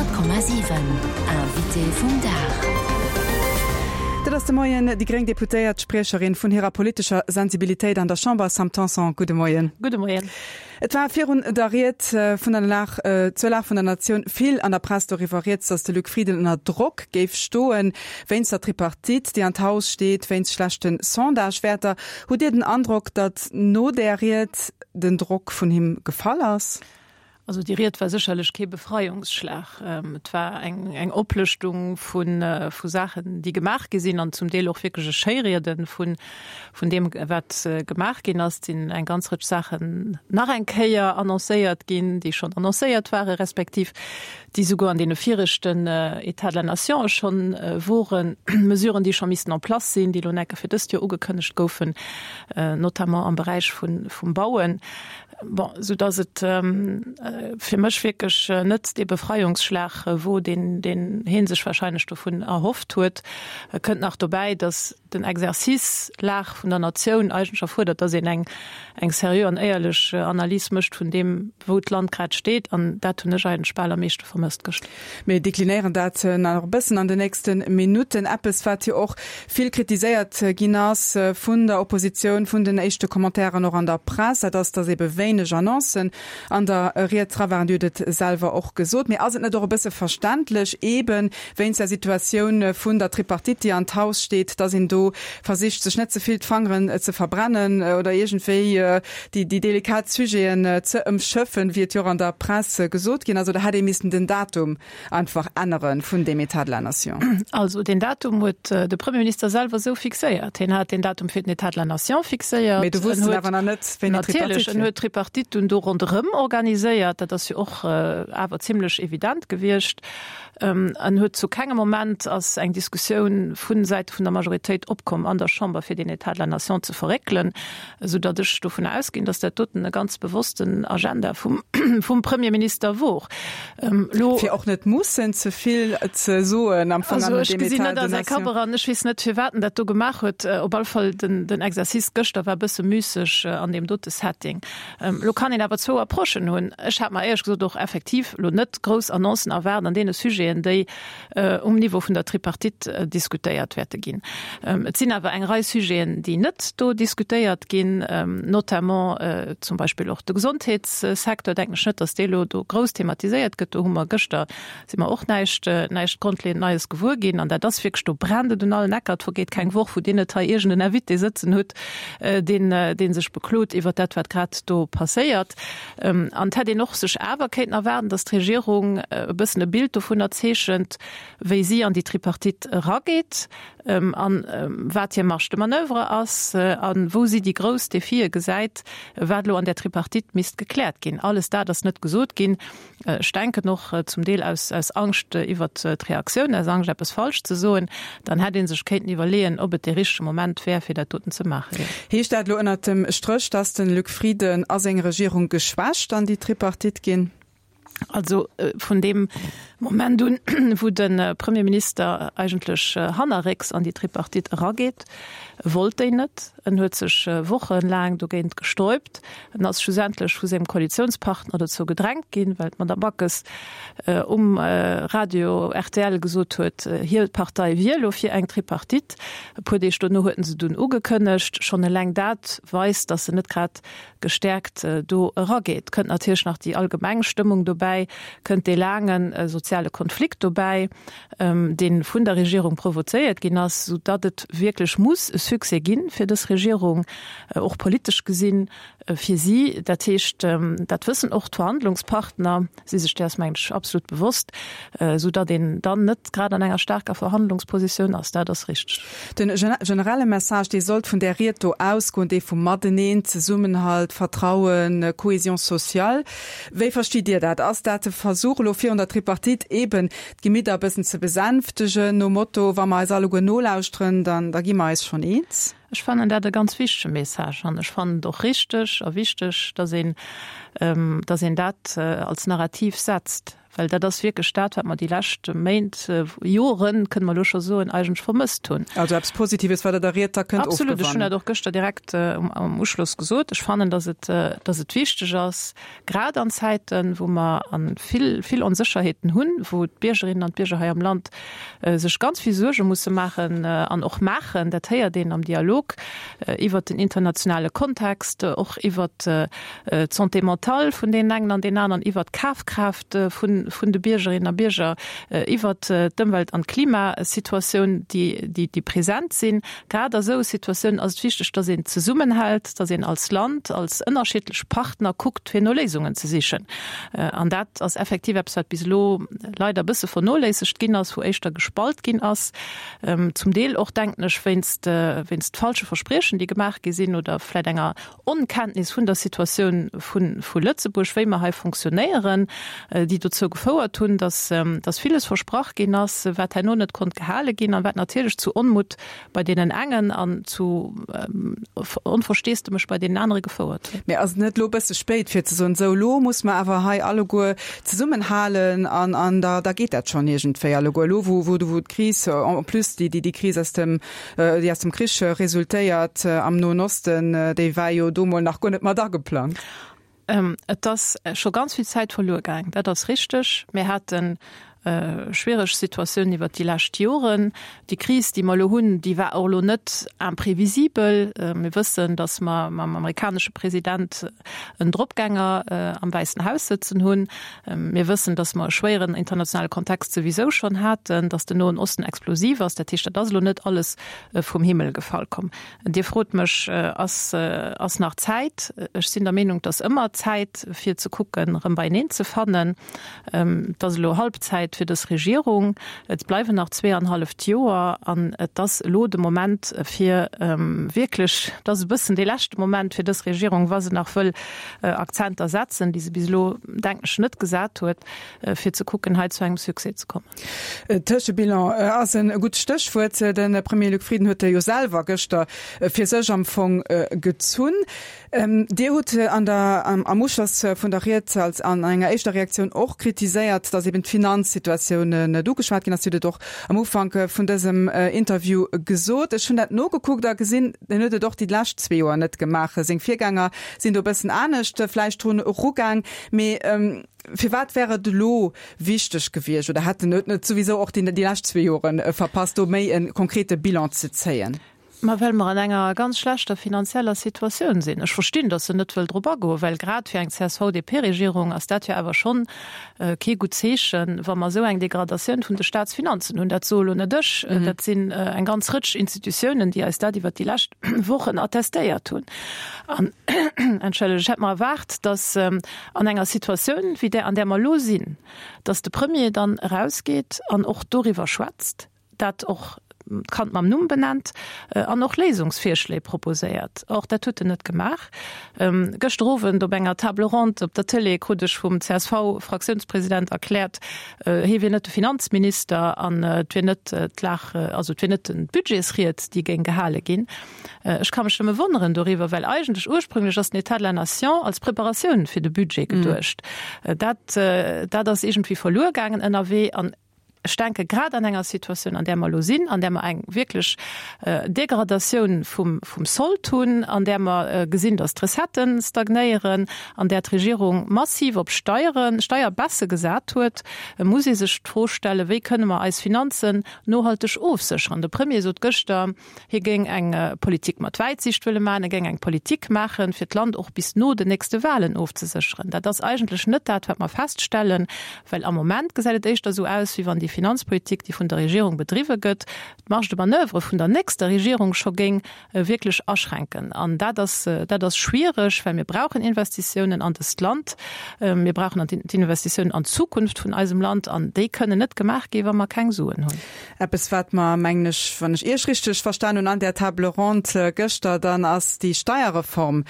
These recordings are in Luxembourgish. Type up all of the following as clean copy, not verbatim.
100,7 Invité vum Dag. Dat ass de Moien déi gréng Deputéiert, Spriecherin vun hirer politescher Sensibilitéit an der Chamber, Sam Tanson. Gudde Moien. Gudde Moien. Et war virun der Ried vun der Lag, zur Lag vun der Natioun vill an der Press doriwwer rieds, datt de Luc Frieden ënner Drock géif stoen, wéinst der Tripartite, déi an d'Haus steet, wéinst schlechte Sondagewäerter. Hutt Dir den Androck, datt no där Ried den Drock vun him gefall ass? Also déi Ried war sécherlech kee Befreiungsschlag. Et war eng eng Oplëschtung vu vu Saachen, déi gemaach gi sinn an zum Deel och wierklech e Schéiriede vun vun deem, wat gemaach ginn ass. Et sinn eng ganz Rëtsch Saachen nach eng Kéier annoncéiert ginn, déi schonn annoncéiert ware respektiv déi souguer an deene viregten États de la Nation schonn woren, Mesuren, déi scho missten en place sinn, déi elo enke fir dëst Joer ugekënnegt goufen, notamment am Beräich vun vum Bauen. Bon, sou dass et fir mech wierklech net dee Befreiungsschlag wor, deen deen hee sech wahrscheinlech dovun erhofft huet. Et kënnt nach dobäi, dass den Exercice Lag vun der Natioun eigentlech erfuerdert, dass een eng eng seriö an éierlech Analys mécht vun deem, wou d'Land grad steet. An dat hunn ech eigentlech bal am meeschte vermësst gëschter. Mir deklinéieren dat nach e bëssen an den nächste Minutten. Eppes, wat jo och vill kritiséiert ginn ass vun der Oppositioun, vun den éischte Commentairen och an der Press, dat ass, datt ebe wéineg Annoncen an der Ried dra waren. Dir hutt et selwer och gesot. Mee ass et net och e bësse verständlech, eebe wéinst der Situatioun vun der Tripartite, déi an d'Haus steet, datt een do versicht, sech net ze vill d'Fangeren ze verbrennen oder iergendwéi déi déi delikat Sujeten ze ëmschëffen, wéi et jo och an der Press gesot ginn ass, oder hätt ee missen den Datum einfach ännere vun deem État de la Nation? Also deen Datum huet de Premierminister selwer esou fixéiert. Hien hat deen Datum fir den État de la Nation fixéiert. Mee do wusst en awer nach net, wéini d'Tripartite wier. Natierlech, en huet d'Tripartite dunn do ronderëm organiséiert. Dat ass jo och awer zimlech evident gewiescht. En huet zu kengem Moment ass eng Diskussioun vu Säite vun der Majoritéit opkomm an der Chamber, fir deen État de la Nation ze verréckelen. esou datt ech dovunner ausginn, datt dat doten e ganz bewossten Agenda vum, vum Premierminister wor. Elo. Fir och net mussen ze vill ze soen am Fong an dem État de nation. Also ech gesinn net a säi Kapp eran, ech weess net, firwat en dat do gemaach huet. Op alle Fall den, den Exercice gëschter war e bësse müsseg an deem dote Setting. Elo kann een awer zwou Approchen hunn. Ech hat mer éierlech gesot och effektiv elo net grouss Annoncen erwaart an deene Sujeten, déi um Niveau vun der Tripartite diskutéiert wäerte ginn. Et sinn awer eng Rei Sujeten, déi net do diskutéiert ginn, notamment zum Beispill och de Gesondheetssecteur, denken ech net, datt dee elo do grouss thematiséiert gëtt. Do hu mer gëschter, si mer och näischt, näischt grondleeënd Neies gewuer ginn. An dat ass wierklech, do brennt et un allen Ecker. Et vergeet keng Woch, wou Dir net hei iergend en Invité sëtzen hutt, deen, dee sech beklot iwwert dat, wat grad do passéiert. An et hätt een och sech awer kéinten erwaarden, datt d'Regierung e bëssen e Bild dovunner zeechent, wéi si an déi Tripartite erageet an wat hir Marge de manoeuvre ass a wou si déi grouss Defie gesäit, wat elo an där Tripartite misst gekläert ginn. Alles dat ass net gesot ginn. Ech denken och zum Deel aus Angscht iwwert d'Reaktioun, aus Angscht eppes falsch ze soen. Dann hätt ee sech kéinten iwwerleeën, ob et dee richtege Moment wär, fir dat doten ze maachen. Heescht dat elo ënnert dem Stréch, datt de Luc Frieden a seng Regierung geschwächt an déi Tripartite ginn? Also vun deem Moment un, wou de Premierminister eigentlech hannerrécks an déi Tripartite erageet, wollt déi net. En huet sech wochenlaang dogéint gestäupt. En ass schlussendlech vu sengem Koalitiounspartner dozou gedrängt ginn, well d'Madame Backes um Radio rtl gesot huet, hir Partei wier elo fir eng Tripartite. E puer Deeg dono huet en se dunn ugekënnegt. Schonn eleng dat weist, datt en net grad gestäerkt do erageet. Kënnt natierlech nach déi allgemeng Stëmmung dobäi, kënnt dee laange soziale Konflikt dobäi. dee vun der Regierung provozéiert ginn ass, sou datt et wierklech muss e Succès gi fir dës Regierung, och politesch gesinn, fir si. Dat heescht, dat wëssen och d'Verhandlungspartner, si sech däers, mengen ech, absolut bewosst, sou datt een dann net grad an enger staarker Verhandlungspositioun ass. Dat ass richteg. Den generelle Message, dee sollt vun där Ried do ausgoen, dee vum Mateneen, Zesummenhalt, Vertrauen, Cohésion sociale. Wéi verstitt Dir dat? Ass dat de Versuch elo virun der Tripartite eben d'Gemidder e bëssen ze besänftegen, nom Motto, wa mer eis alleguer nolauschteren, dann da gi mer eis schonn eens? Ech fannen dat e ganz wichtege Message an ech fannen et och richteg a wichteg, dass een, dass een dat als Narrativ setzt. Well dat ass wierklech dat, wat mer déi lescht Méint, Joren, kënne mer elo scho soen, eigentlech vermësst hunn. Also eppes Positives, wat Der der Ried da kënnt ofgewannen. Absolut. Ech hunn dat och gëschter direkt am Uschloss gesot. Ech fannen, dass et, dass et wichteg ass, grad an Zäiten, wou mer vill, vill Onsécherheeten hunn, wou d'Biergerinnen an d'Bierger hei am Land sech ganz vill Suerge musse maachen an och maachen, dat héiert een am Dialog iwwert den internationale Kontext, och iwwert d'Santé mentale vun deenen engen an deenen aneren, iwwert d'Kafkraaft vun de Biergerinnen a Bierger, iwwert d'Ëmwelt an d'Klimasituatioun, déi present sinn. Grad a sou Situatiounen ass et wichteg, dass een zesummenhält, dass een als Land, als ënnerschiddlech Partner kuckt, fir no Léisungen ze sichen. An dat ass effektiv eppes, wat bis elo leider e bësse vernoléissegt ginn ass, wou éischter gespalt ginn ass, zum Deel och, denken ech, wéinst falsche Verspriechen, déi gemaach gi sinn oder vläicht enger Onkenntnis vun der Situatioun vu Lëtzebuerg, wéi mer hei fonctionnéieren, déi dozou gefouert hunn, dass dass villes versprach ginn ass, wat herno net konnt gehale ginn an wat natierlech zu Onmutt bei deenen engen an zu Onversteesdemech bei deenen anere gefouert huet. Mee ass et net elo e bësse spéit, fir ze soen, esou elo muss mer awer hei alleguer zesummenhalen an an da da geet dat schonn iergendwéi alleguer, elo wou wou d'Kris en plus déi déi Kris aus dem déi aus dem Krich resultéiert am Noen Osten, déi war jo do mol nach guer net mat ageplangt. Et ass scho ganz vill Zäit verluer gaang, dat ass richteg. Mir hate schwiereg Situatiounen iwwert déi lescht Joren. Déi Kris, déi mer elo hunn, déi war och elo net imprevisibel. Mir wëssen, datt mer mam amerikanesche President en Dropgänger am Wäissen Haus sëtzen hunn. Mir wëssen, dass mer e schwéieren internationale Kontext souwisou schonn haten, dass den Noen Osten explosiv ass. Dat heescht, dat ass elo net alles vum Himmel gefall komm. Dir frot mech, Ass, ass nach Zäit? Ech sinn der Meenung, et ass ëmmer Zäit, fir ze kucken, erëm beieneen ze fannen. Et ass elo Halbzäit fir dës Regierung. Et bleiwen nach zweeanhalleft Joer an et ass elo de Moment, fir wierklech, et ass e bëssen dee leschte Moment fir dës Regierung, wa se nach wëll Akzenter setzen, déi se bis elo, denken ech, net gesat huet, fir ze kucken, hei zu engem Succès ze kommen. Tëschebilan ass e gutt Stéchwuert. De Premier Luc Frieden huet e jo selwer gëschter fir sech am Fong gezunn. Dir hutt an der, am Uschloss vun der Ried als an enger éischter Reaktioun och kritiséiert, datt eben d'Finanzsituatioun net ugeschwat ginn ass. Dir hutt et och am Ufank vun dësem Interview gesot. Ech hunn dat nogekuckt a gesinn, en huet et och déi lescht zwee Joer net gemaach. Seng Virgänger sinn do e bëssen anescht vläicht drun erugaang. Mee firwat wär et elo wichteg gewiescht oder hätt en et net souwisou och déi lescht zwee Jore verpasst, do méi e konkrete Bilan ze zéien? Ma well mer an enger ganz schlechter finanzieller Situatioun sinn. Ech verstinn, datt en net wëll drop agoen, well grad fir eng CSV-DP-Regierung ass dat jo awer schonn kee gutt Zeechen, wa mer esou eng Degradatioun vun de Staatsfinanzen hunn. Dat soe lo net ech, dat sinn eng ganz Rëtsch Institutiounen, déi eis dat iwwert déi lescht Wochen attestéiert hunn. An, entschëllegt, ech hätt mer erwaart, datt an enger Situatioun wéi där, an där mer elo sinn, datt de Premier dann erausgeet an och doriwwer schwätzt, dat och d'Kand mam Numm benennt an och Léisungsvirschléi proposéiert. Or, dat huet en net gemaach. Gëschter Owend op enger Table ronde op der Tëlee krut ech vum CSV-Fraktiounspresident erkläert, hie wier net de Finanzminister an et wier net d'Lag, also et wier net d'Budgetsried, déi géing gehale ginn. Ech ka mech nëmme wonneren doriwwer, well eigentlech ursprünglech ass den État de la Nation als Preparatioun fir de Budget geduecht. Dat, dat ass iergendwéi verluer gaangen ënnerwee an Ech denke grad an enger Situatioun, an där mer elo sinn, an där mer eng wierklech Degradatioun vum Sold hunn, an där mer gesinn, datt d'Recettë stagnéieren, an där d'Regierung massiv op Steieren, Steierbaisse gesat huet, muss ee sech d'Fro stellen, Wéi kënne mer eis Finanzen nohalteg ofsécheren? De Premier sot gëschter, Hie géing eng Politik mat Wäitsiicht wëlle maachen, e géing eng Politik maachen, fir d'Land och bis no den nächste Wahlen ofzesécheren. Dat ass eigentlech net dat, wat mer feststellen, well am Moment gesäit et éischter esou aus, wéi wann déi Finanzpolitik, déi vun der Regierung bedriwwe gëtt, d'Marge de manoeuvre vun der nächster Regierung scho géing wierklech aschränken. An dat ass, dat ass schwiereg, well mir brauchen Investitiounen an dëst Land. Mir brauchen d'Investitiounen an d'Zukunft vun eisem Land an déi kënnen net gemaach ginn, wa mer keng Suen hunn. Eppes wat mer, mengen ech, wann ech Iech richteg verstan hunn an där Table ronde gëschter, dann ass déi Steierreform,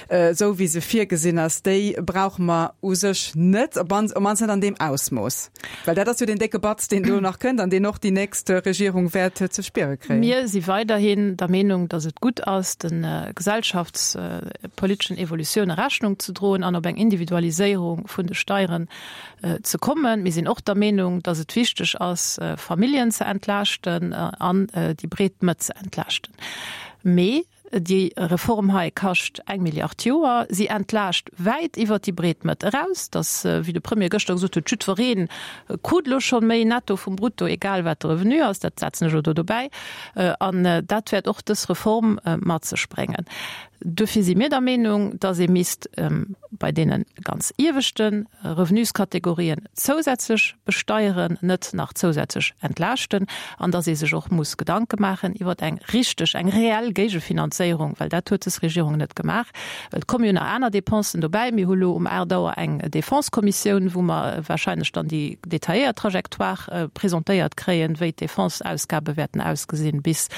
esou wéi se virgesinn ass, déi brauche mer u sech net, op mannst net an deem Ausmooss. Well dat ass jo deen décke Batz, deen. deen do nach kënnt an deen och déi nächst Regierung wäert ze spiere kréien. Mir si weiderhin der Meenung, datt et gutt ass, de gesellschaftspoliteschen Evolutioune Rechnung ze droen an op eng Individualiséierung vun de Steieren ze kommen. Mir sinn och der Meenung, datt et wichteg ass, Familljen ze entlaaschten an déi breet Mëtt ze entlaaschten. Mee déi Reform hei kascht eng Milliard d'Joer. Si entlaascht wäit iwwert déi breet Mëtt eraus. Datt, wéi de Premier gëschter gesot huet, jiddweree krut elo scho méi netto vum Brutto, egal wat de Revenu ass, dat setzen ech elo do dobäi. An dat wäert och dës Reform mat sech bréngen. Duerfir si mir der Meenung, dass ee misst bei deene ganz ieweschte Revenuskategorien zousätzlech besteieren, net nach zousätzlech entlaaschten, an dass ee sech och muss Gedanke maachen iwwer eng richteg, eng reell Géigefinanzéierung, well dat huet des Regierung net gemaach. Et komme jo nach aner Dépensen dobäi. Mir hu lo um 8 Auer eng Défense-Kommissioun, wou mer wahrscheinlech dann déi detailléiert Trajectoire presentéiert kréien, wéi d'Défense-Ausgabe wäerten ausgesinn bis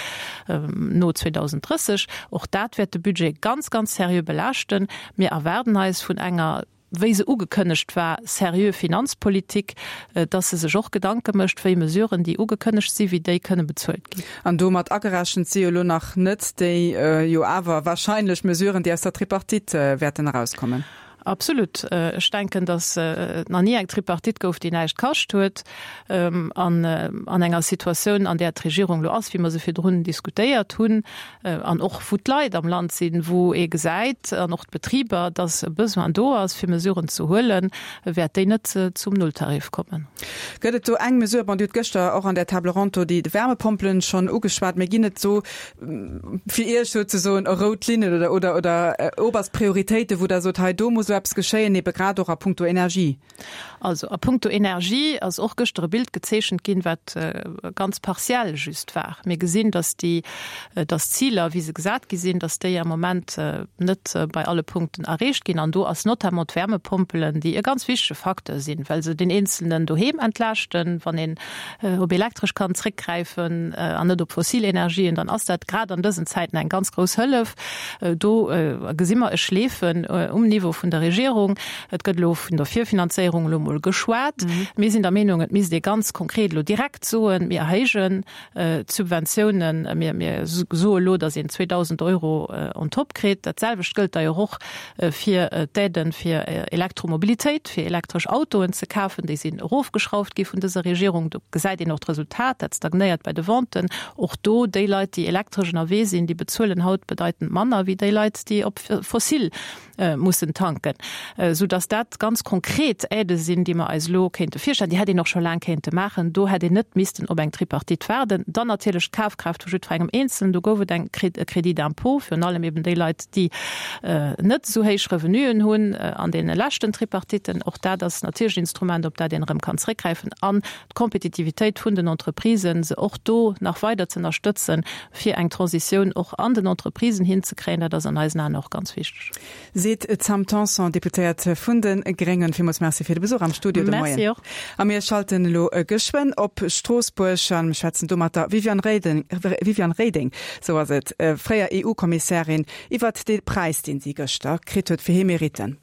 no 2030. Och dat wäert de Budget ganz, ganz seriö belaaschten. Mir erwaarden eis vun enger, wéi se ugekënnegt war, seriö Finanzpolitik, dass se sech och Gedanke mécht, wéi Mesuren, déi ugekënnegt sinn, wéi déi kënne bezuelt ginn. An domat agerechent si jo elo nach net déi jo awer wahrscheinlech Mesuren, déi aus der Tripartite wäerten erauskommen. Absolut. Ech denken, datt et nach ni eng Tripartite gouf, déi näischt kascht huet. An an enger Situatioun, an där d'Regierung elo ass, wéi mer se virdrun diskutéiert hunn, an och wou d'Leit am Land sinn, wou ee gesäit, an och d'Betriber, datt e Besoin do ass, fir Mesuren ze huelen, wäert déi net zum Nulltarif kommen. Gëtt et do eng Mesure, bon, Dir hutt gëschter och an där Table ronde do déi Wärmepompelen schonn ugeschwat, mä ginn et do fir Iech souzesoen rout Linnen oder, oder, oder oberst Prioritéiten, wou Der sot, hei do muss elo eppes geschéien, ebe grad och a puncto Energie? Also a puncto Energie ass och gëschter e Bild gezeechent ginn, wat ganz partiell just war. Mir gesinn, dass déi, dass d'Ziler, wéi se gesat gi sinn, dass déi am Moment net bei alle Punkten erreecht ginn. An do ass notamment d'Wärmepompelen, déi e ganz wichtege Facteur sinn, well se den Eenzelnen doheem entlaaschten, wann een op Elektresch kann zréckgräifen an net op fossil Energien, dann ass dat grad an dësen Zäiten eng ganz grouss Hëllef. Do gesi mer e Schleefen um Niveau vun der Regierung. Et gëtt elo vun der Virfinanzéierung elo emol geschwat. Mir sinn der Meenung, et misst ee ganz konkret elo direkt soen, mir erhéijen d'Subventiounen, mir soe elo, datt een 2.000 Euro on top kritt. Dat selwecht gëllt d'ailleurs och fir d'Aiden fir Elektromobilitéit, fir elektresch Autoen ze kafen. Déi sinn erofgeschrauft gi vun dëser Regierung. Do gesäit een och d'Resultat, dat stagnéiert bei de Venten. Och do, déi Leit, déi elektresch ënnerwee sinn, déi bezuelen haut bedeitend manner wéi déi Leit, déi op fossil mussen tanken, sou dass dat ganz konkret Aidë sinn, déi mer eis elo kéinte virstellen. Déi hätt een och scho laang kéinte maachen. Do hätt een net missten op eng Tripartite waarden. Dann natierlech d'Kafkraaft vu jiddwerengem Eenzelen. Do gouf et eng e Crédit d'impôt, virun allem eben déi Leit, déi net esou héich Revenuen hunn an deene leschten Tripartiten. Och dat ass natierlech en Instrument, op dat een erëm kann zréckgräifen. An d'Kompetitivitéit vun den Entreprisen, se och do nach weider ze ënnerstëtzen, fir eng Transitioun och an den Entreprisen hinzekréien, dat ass an eisen Aen och ganz wichteg. Seet d'Sam Tanson, Deputéiert vun de Gréngen. Villmools Merci fir de Besuch am Studio de Moien. Merci och. A mir schalten elo geschwënn op Stroossbuerg a schwätzen do mat der Viviane Reding, Viviane Reding, sou ass et, fréier EU-Kommissärin, iwwert dee Präis, deen si gëschter kritt huet fir hir Meritten.